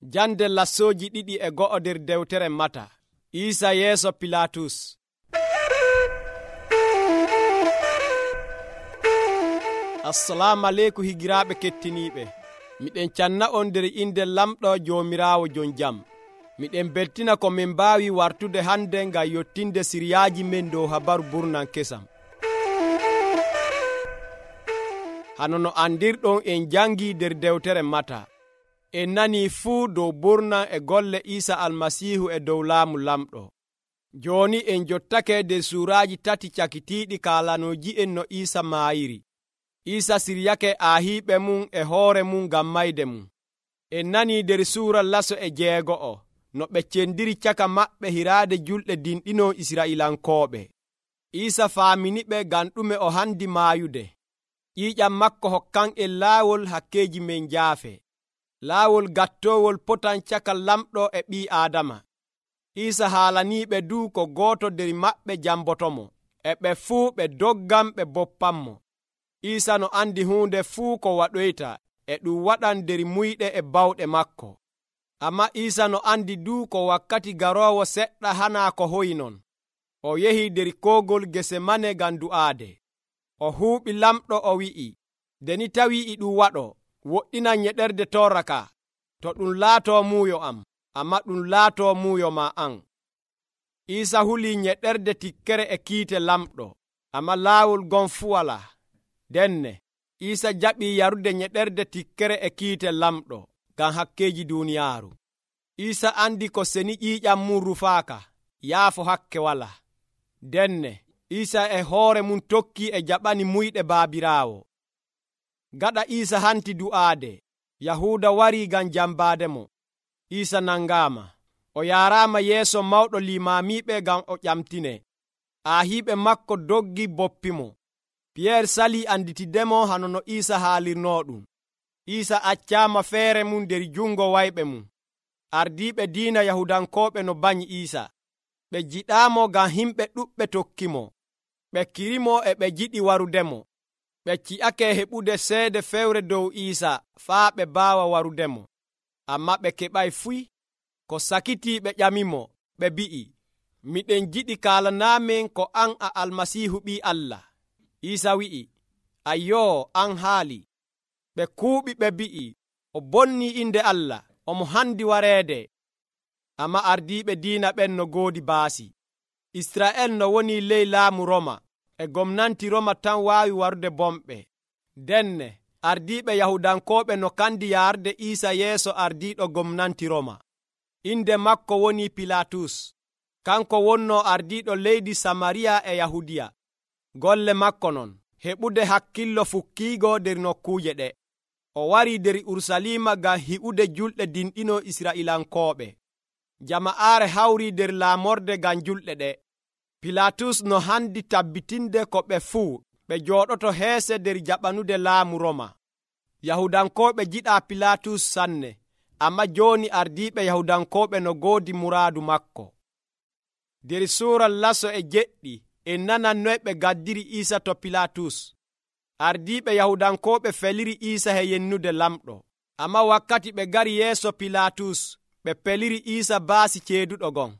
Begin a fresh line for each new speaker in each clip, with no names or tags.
Jande lassooji 2 nder dewtere Mata. Iisa yeeso Pilatus. Assalamu aleykum higiraaɓe kettiniiɓe. Miɗen canna on nder inde lamɗo Joomiraawo jon jam. Miɗen beltina ko min mbaawi wartude hande ngam yottinde siriyaaji men dow habaru burnan kesam. Hano no andirɗon en jangi nder dewtere Mata. En nanii fuu dow burnan e golle Iisa Almasiihu e dow laamu lamɗo. Jooni en jottake nder suuraaji 3 cakitiiɗi kaalanooji en no Iisa maayiri. Iisa siryake aahiiɓe mum e hoore mum ngam mayde mum. En nanii nder suura 6 no ɓe cendiri caka maɓɓe hiraade julɗe dinɗinoo Israa'ilankooɓe. Iisa faaminiɓe ngam ɗume o handi maayude. ƴiiƴam makko hokkan en laawol hakkeeji men njaafe. Laawol gattoowol potan caka lamɗo e ɓii Aadama. Iisa haalaniiɓe du ko gooto nder maɓɓe jambotomo, e ɓe fuu ɓe doggan ɓe boppanmo. Iisa no andi huunde fuu ko waɗoyta e ɗum waɗan nder muyɗe e bawɗe makko. Ammaa Iisa no andi du ko wakkati garoowo seɗɗa hanaa ko hoyi non. O yehi nder koogol Gesemane ngam du'aade. O huuɓi lamɗo o wi'i, nde ni tawii e ɗum waɗo, woɗɗinan nyeɗerde torra ka, to ɗum laatoo muuyo am, ammaa ɗum laatoo muuyo ma an. Iisa hulii nyeɗerde tikkere e kiite lamɗo, ammaa laawol gon fuu walaa. Denne, Iisa jaɓii yarude nyeɗerde tikkere e kiite lamɗo, ngam hakkeeji duuniyaaru. Iisa andi ko seni ƴiiƴam mum rufaaka, yaafo hakke walaa. Denne, Iisa e hoore mum tokkii e jaɓani muyɗe Baabiraawo. Gaɗa Iisa hanti du'aade, Yahuuda warii ngam jambaademo. Iisa nangaama. O yaaraama yeeso mawɗo limaamiiɓe ngam o ƴamtinee. Aahiiɓe makko doggi boppimo. Piyeer salii anditidemo hano no Iisa haalirnoo ɗum. Iisa accaama feere mum nder jungo wayɓe mum. Ardiiɓe diina Yahudankooɓe no banyi Iisa. Ɓe jiɗaamo ngam himɓe ɗuɗɓe tokkimo. Ɓe kirimo e ɓe jiɗi warudemo. Ɓe ci'ake heɓude seede fewre dow Iisa faa ɓe baawa warudemo. Ammaa ɓe keɓay fuy. Ko sakitii ɓe ƴamimo, ɓe bi'i, miɗen jiɗi kaalanaamen ko an a Almasiihu ɓii Allah. Iisa wi'i, ayyoo, an haali. Ɓe kuuɓi ɓe bi'i, o bonnii inde Allah, omo handi wareede. Ammaa ardiiɓe diina ɓen no ngoodi baasi. Israa'el no woni ley laamu Roma, e gomnanti Roma tan waawi warude bomɓe. Denne, ardiiɓe Yahudankooɓe no kandi yaarde Iisa yeeso ardiiɗo gomnanti Roma. Inde makko woni Pilatus. Kanko wonnoo ardiiɗo leydi Samariya e Yahudiya. Golle makko non, heɓude hakkillo fukkiigo nder nokkuuje ɗe. O warii nder Urusalima ngam hi'ude julɗe dinɗinoo Israa'ilankooɓe. Jama'aare hawrii nder laamorde ngam julɗe ɗe. Pilatus no handi tabbitinde ko ɓe fuu ɓe jooɗoto heese nder jaɓanude laamu Roma. Yahudankooɓe jiɗaa Pilatus sanne, ammaa jooni ardiiɓe Yahudankooɓe no ngoodi muraadu makko. Nder suura 9 en nanan noy ɓe gaddiri Iisa to Pilatus. Ardiiɓe Yahudankooɓe feliri Iisa he yennude lamɗo. Ammaa wakkati ɓe ngari yeeso Pilatus, ɓe peliri Iisa baasi ceeduɗo gon.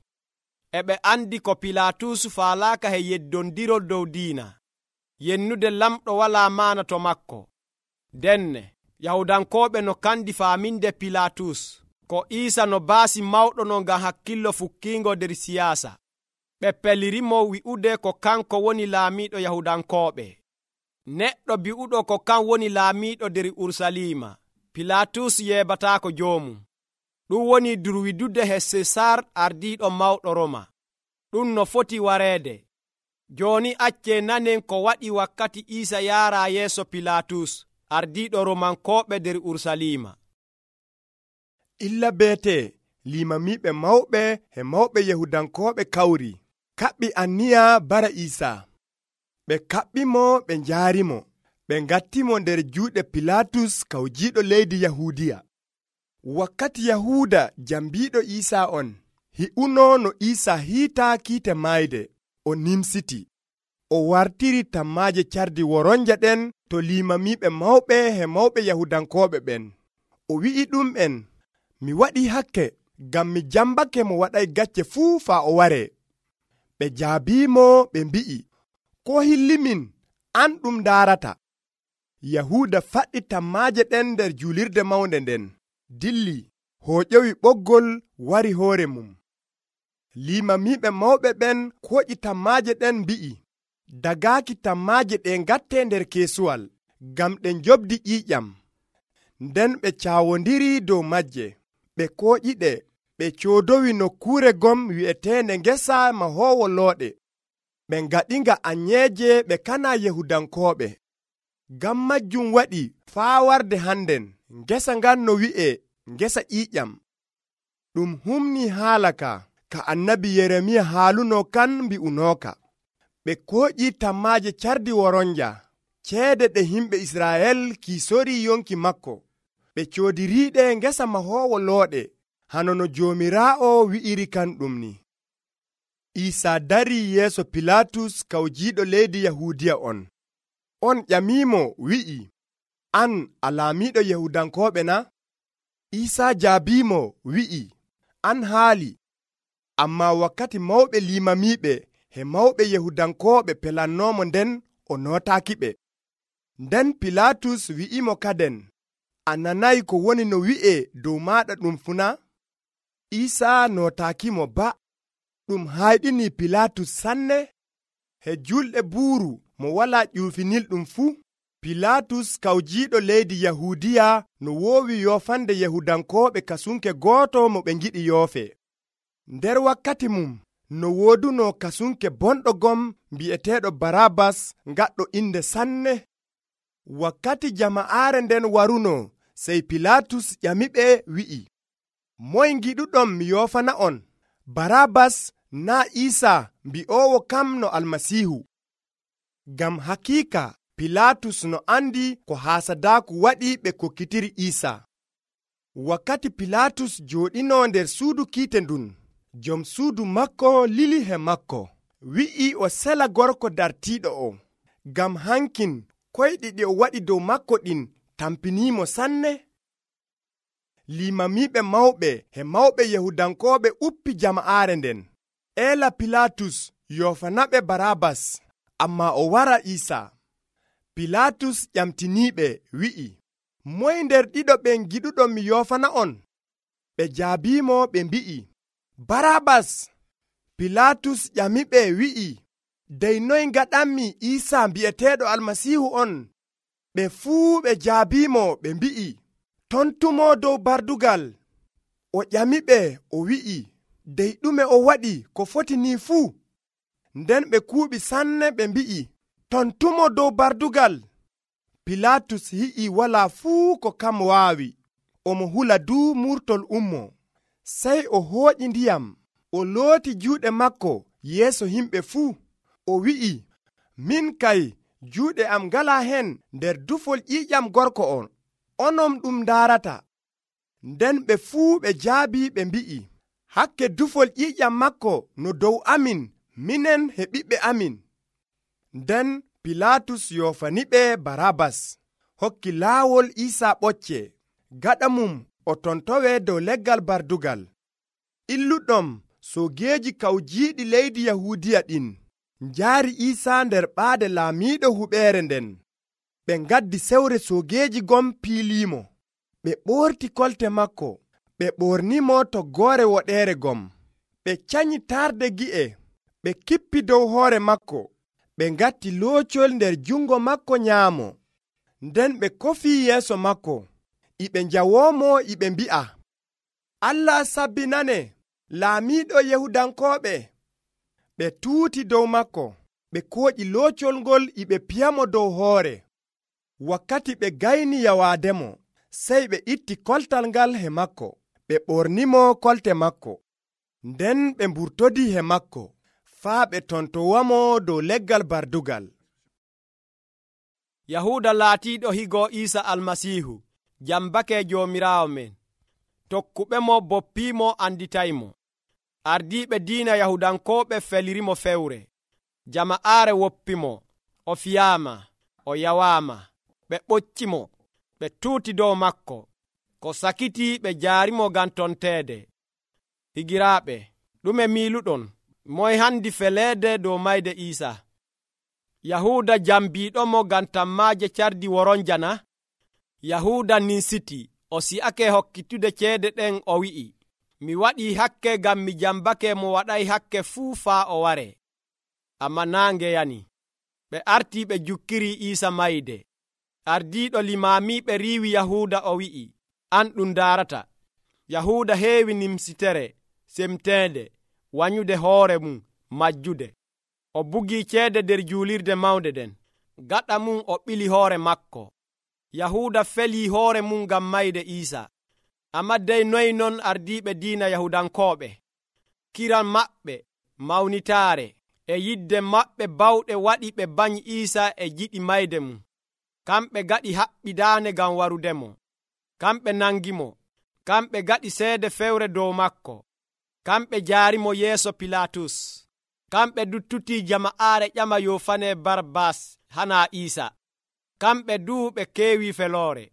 E ɓe andi ko Pilatus faalaaka he yeddondirol dow diina. Yennude lamɗo walaa maana to makko. Denne, Yahudankooɓe no kandi faaminde Pilatus ko Iisa no baasi mawɗo no ngam hakkillo fukkiingo nder siyaasa. Ɓe pelirimo wi'ude ko kanko woni laamiiɗo Yahudankooɓe. Neɗɗo bi'uɗo ko kan woni laamiiɗo nder Urusalima, Pilatus yeebataako joomum. Ɗum woni durwidude he Sesar ardiiɗo mawɗo Roma. Ɗum no foti wareede. Jooni accee nanen ko waɗi wakkati Iisa yaaraa yeeso Pilatus, ardiiɗo Romankooɓe nder Urusalima.
Illa beete limamiiɓe mawɓe e mawɓe Yahudankooɓe kawri, kaɓɓi anniya bara Iisa. Ɓe kaɓɓimo ɓe njaarimo, ɓe ngattimo nder juuɗe Pilatus kawjiiɗo leydi Yahudiya. Wakkati Yahuuda jambiiɗo Iisa on, hi'uno no Iisa hiitaa kiite maayde, o nimsiti. O wartiri tammaaje cardi woronje ɗen to limamiiɓe mawɓe e mawɓe Yahudankooɓe ɓen. O wi'i ɗum'en, mi waɗii hakke ngam mi jambake mo waɗay gacce fuu faa o waree. Ɓe jaabiimo ɓe mbi'i, ko hillimin an ɗum ndaarata. Yahuuda faɗɗi tammaaje ɗen nder julirde mawnde nden, dilli, hooƴowi ɓoggol wari hoore mum. Limamiiɓe mawɓe ɓen kooƴi tammaaje ɗen mbi'i, dagaaki tammaaje ɗe ngattee nder keesuwal, ngam ɗe njobdi ƴiiƴam. Nden ɓe caawondiri dow majje, ɓe kooƴiɗe, ɓe coodowi nokkuure gom wi'eteende ngesa mahoowo looɗe. Ɓe ngaɗinga anyeeje ɓe kana Yahudankooɓe. Ngam majjum waɗi faa warde hannden ngesa ngan no wi'e ngesa ƴiiƴam. Ɗum humnii haala ka annabi Yeremiya haaluno kan mbi'unooka. Ɓe kooƴi tammaaje cardi woronja, ceede ɗe himɓe Israa'el kiisorii yonki makko. Ɓe coodiriiɗe ngesa mahoowo looɗe, hano no Joomiraawo wi'iri kan ɗum ni. Iisaa darii yeeso Pilaatus kawjiiɗo leydi Yahuudiya on. On ƴamiimo wi'i, an a laamiiɗo Yahudankooɓe na? Iisaa jaabiimo wi'i, an haali. Ammaa wakkati mawɓe limamiiɓe e mawɓe Yahudankooɓe pelannoomo nden o nootaakiɓe. Nden Pilaatus wi'imo kaden, a nanayi ko woni no wi'ee dow maaɗa ɗum funa? Iisaa nootaakimo ba. Ɗum hayɗinii Pilaatus sanne. He julɗe buuru mo walaa ƴuufinilɗum fuu, Pilaatus kawjiiɗo leydi Yahuudiya no woowi yoofande Yahudankooɓe kasunke gooto mo ɓe ngiɗi yoofe. Nder wakkati mum no wooduno kasunke bonɗo gom mbi'eteeɗo Baraabas ngaɗɗo inde sanne. Wakkati jama'aare nden waruno, sey Pilaatus ƴamiɓe wi'i, moy ngiɗuɗon mi yoofana on, Baraabas naa Iisaa mbi'oowo kam no Almasiihu? Ngam hakiika Pilaatus no andi ko haasadaaku waɗi ɓe kokkitiri Iisaa. Wakkati Pilaatus jooɗinoo nder suudu kiite ndun, jom suudu makko lili he makko, wi'i o sela gorko dartiiɗo o, ngam hankin koyɗi ɗi o waɗi dow makko ɗin tampiniimo sanne. Limamiiɓe mawɓe e mawɓe Yahudankooɓe uppi jama'aare nden, eela Pilaatus yoofanaɓe Baraabas, ammaa o wara Iisaa. Pilaatus ƴamtiniiɓe wi'i, moy nder ɗiɗo ɓen giɗuɗon mi yoofana on? Ɓe jaabiimo ɓe mbi'i, Baraabas. Pilaatus ƴamiɓe wi'i, dey noy ngaɗanmi Iisaa mbi'eteeɗo Almasiihu on? Ɓe fuu ɓe jaabiimo ɓe mbi'i, tontumo dow bardugal. O ƴamiɓe o wi'i, dey ɗume o waɗi ko foti ni fuu? Nden ɓe kuuɓi sanne ɓe mbi'i, tontumo dow bardugal. Pilaatus yi'i walaa fuu ko kam waawi, omo hula duu murtol ummo. Sey o hooƴi ndiyam, o looti juuɗe makko yeeso himɓe fuu. O wi'i, min kay juuɗe am ngalaa hen nder dufol ƴiiƴam gorko on, onon ɗum ndaarata. Nden ɓe fuu ɓe jaabii ɓe mbi'i, hakke dufol ƴiiƴam makko no dow amin, minen e ɓiɓɓe amin. Nden Pilaatus yoofaniɓe Baraabas, hokki laawol Iisaa ɓocce, gaɗa mum o tontowe dow leggal bardugal. Illuɗom soogeeji kawjiiɗi leydi Yahuudiya ɗin njaari Iisaa nder ɓaade laamiiɗo huɓeere nden. Ɓe ngaddi sewre soogeeji gom piiliimo. Ɓe ɓoorti kolte makko, ɓe ɓornimo toggoore woɗeere gom. Ɓe canyi tarde gi'e, ɓe kippi dow hoore makko. Ɓe ngatti loocol nder jungo makko nyaamo. Nden ɓe kofii yeeso makko, iɓe njawoomo iɓe mbi'a, Allah sabbinane, laamiiɗo Yahudankooɓe. Ɓe tuuti dow makko, ɓe kooƴi loocol ngol iɓe piyamo dow hoore. Wakkati ɓe gayni yawaademo, sey ɓe itti koltal ngal he makko, ɓe ɓornimo kolte makko. Nden ɓe mburtodii he makko, faa ɓe tontowamo dow leggal bardugal.
Yahuuda laatiiɗo higo Iisa Almasiihu jambake Joomiraawo men. Tokkuɓemo boppiimo anditaymo. Ardiiɓe diina Yahudankooɓe felirimo fewre. Jama'aare woppimo, o fiyaama, o yawaama. Ɓe ɓoccimo, ɓe tuuti dow makko. ko sakiti ɓe jaarimo ngam tonteede. Higiraaɓe, ɗume miiluɗon? Moye handi feleede dow mayde Iisa? Yahuuda jambiiɗomo ngam tammaaje cardi woronja na? Yahuuda ninsiti, o si'ake hokkitude ceede ɗen, o wi'i, mi waɗii hakke ngam mi jambake mo waɗay hakke fuu faa o ware. Ammaa naange yani. Ɓe artii ɓe jukkiri Iisa mayde. Ardiiɗo limaamiiɓe riiwi Yahuuda, o wi'i, an ɗum ndaarata. Yahuuda heewi nimsitere semteende, wanyude hoore mum majjude. O bugii ceede nder juulirde mawnde nden. Gaɗa mum o ɓili hoore makko. Yahuuda felii hoore mum ngam mayde Iisa. Ammaa dey noy non ardiiɓe diina Yahudankooɓe? Kiran maɓɓe mawnitaare e yidde maɓɓe bawɗe waɗi ɓe banyi Iisa e jiɗi mayde mum. Kamɓe gaɗi haɓɓidaane ngam warudemo. Kamɓe nangimo. Kamɓe gaɗi seede fewre dow makko. Kamɓe jaarimo yeeso Pilaatus. Kamɓe duttutii jama'aare ƴama yoofane Barabbas hana Iisa. Kamɓe duu ɓe keewi feloore.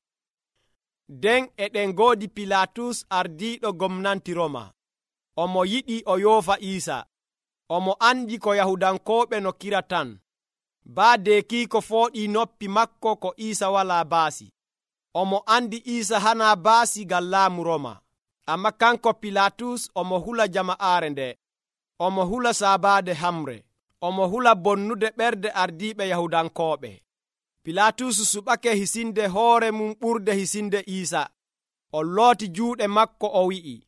Den e ɗen ngoodi Pilaatus ardiiɗo gomnanti Roma. Omo yiɗi o yoofa Iisa. Omo andi ko Yahudankooɓe no kira tan. Baadeki ko fooɗii noppi makko ko Iisa walaa baasi. Omo andi Iisa hana baasi ngam laamu Roma. Amma kanko Pilaatus omo hula jama'aare nde. Omo hula saabaade hamre. Omo hula bonnude ɓerde ardiiɓe Yahudankooɓe. Pilaatus suɓake hisinde hoore mum ɓurde hisinde Iisa. O looti juuɗe makko, o wi'i,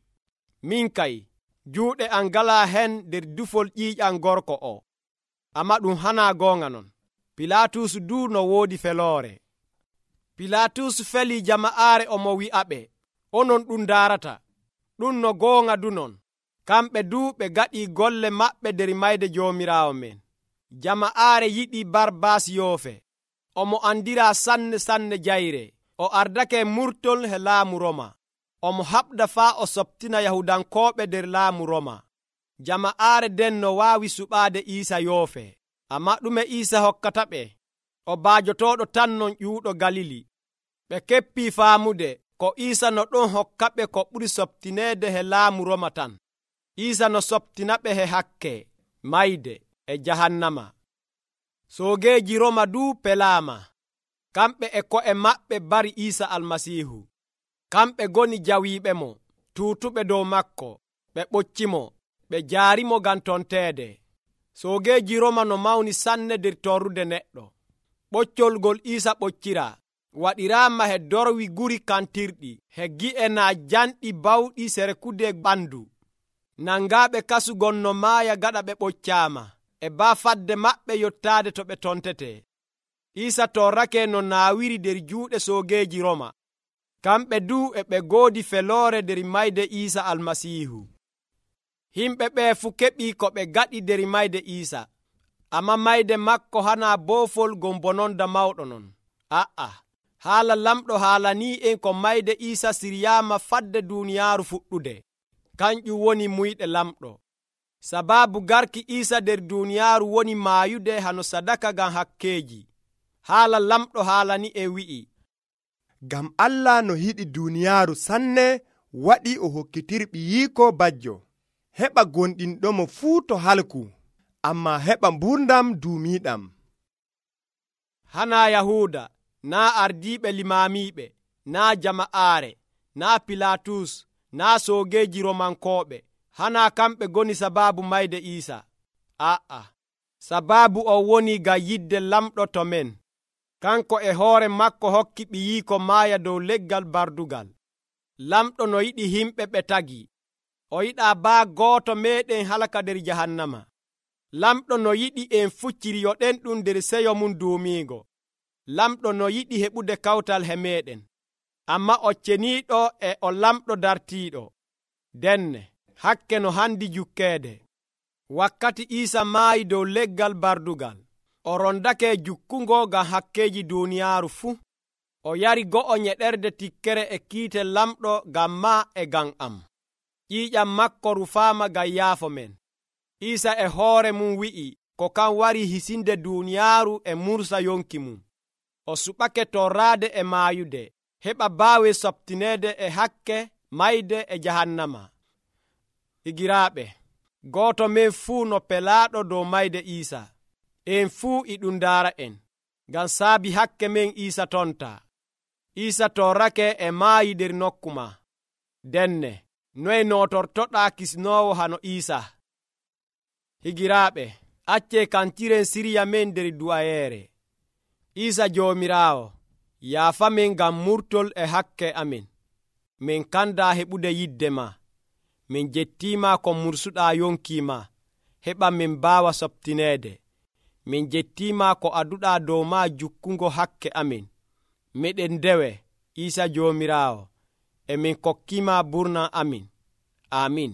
min kay, juuɗe am ngalaa hen nder dufol ƴiiƴam gorko o. Ammaa ɗum hana goonga non. Pilaatus duu no woodi feloore. Pilaatus feli jama'aare, omo wi'aɓe, onon ɗum ndaarata. Ɗum no goonga du non. Kamɓe duu ɓe gaɗii golle maɓɓe nder mayde Joomiraawo men. Jama'aare yiɗi Barabbas yoofe. Omo andiraa sanne jayre. O ardake murtol he laamu Roma. Omo haɓda faa o soptina Yahudankooɓe nder laamu Roma. Jama'aare den no waawi suɓaade Iisa yoofe. Ammaa ɗume Iisa hokkata ɓe? O baajotooɗo tan non ƴuuɗo Galili. Ɓe keppii faamude ko Iisa no ɗon hokkaɓe ko ɓuri soptineede he laamu Roma tan. Iisa no soptinaɓe he hakke, mayde e jahannama. Soogeeji Roma duu pelaama. Kamɓe e ko'e maɓɓe bari Iisa Almasiihu. Kamɓe goni jawiiɓemo, tuutuɓe dow makko. Ɓe ɓoccimo, ɓe jaarimo ngam tonteede. Soogeeji Roma no mawni sanne nder torrude neɗɗo. Ɓoccolgol Iisa ɓoccira waɗiraama he dorwi guri kantirɗi, he gi'e naa janɗi bawɗi serekude ɓandu. Nangaaɓe kasugol no maaya gaɗa ɓe ɓoccaama, e baafadde maɓɓe yottaade to ɓe tontete. Iisa torrake no naawiri nder juuɗe soogeeji Roma. Kamɓe duu e ɓe goodi feloore nder mayde Iisa Almasiihu. Himɓe ɓee fu keɓii ko ɓe gaɗi nder mayde Iisa. Ammaa mayde makko hana boofol gon bononda mawɗo non. Haala lamɗo haalanii en ko mayde Iisa siryaama fadde duuniyaaru fuɗɗude. Kanƴum woni muyɗe lamɗo. Sabaabu garki Iisa nder duuniyaaru woni maayude hano sadaka ngam hakkeeji. Haala lamɗo haalani en wi'i,
ngam Allah no yiɗi duuniyaaru sanne waɗi o hokkitiri ɓiyiiko bajjo, heɓa gonɗinɗomo fuu to halku, ammaa heɓa mburdam duumiiɗam.
Hana Yahuuda, naa ardiiɓe limaamiiɓe, naa jama'aare, naa Pilaatus, naa soogeeji Romankooɓe, hana kamɓe goni sabaabu mayde Iisa. Sabaabu o woni ngam yidde lamɗo to men. Kanko e hoore makko hokki ɓiyiiko maaya dow leggal bardugal. Lamɗo no yiɗi himɓe ɓe tagi. O yiɗaa baa gooto meeɗen halaka nder jahannama. Lamɗo no yiɗi en fucciriyoɗen ɗum nder seyo mum duumiigo. Lamɗo no yiɗi heɓude kawtal he meeɗen. Ammaa o ceniiɗo e o lamɗo dartiiɗo. Denne, hakke no handi jukkeede. Wakkati Iisa maayi dow leggal bardugal, o rondake jukkungo ngam hakkeeji duuniyaaru fuu. O yari go'o nyeɗerde tikkere e kiite lamɗo ngam maa e ngam am. Ƴiiƴam makko rufaama ngam yaafo men. Iisa e hoore mum wi'i ko kan wari hisinde duuniyaaru e mursa yonki mum. O suɓake torraade e maayude. heɓa baawe sobtineede e hakke mayde e jahannama. Higiraaɓe, gooto men fuu no pelaaɗo dow mayde Iisa. En fuu e ɗum ndaara en, ngam saabi hakke men Iisa tonta. Iisa torrake e maayi nder nokku ma. Denne, noye nootortoɗaa kisnoowo hano Iisa? Higiraaɓe, accee kantiren sirya men nder du'ayeere. Iisa Joomiraawo, yaafamen ngam murtol e hakke amin. Min kandaa heɓude yidde ma. Min jettiima ko mursuɗaa yonki ma, heɓa min mbaawa sobtineede. Min jettiima ko aduɗaa dow ma jukkungo hakke amin. Miɗen ndewe, Iisa Joomiraawo, e min kokkiima burna amin. Amin.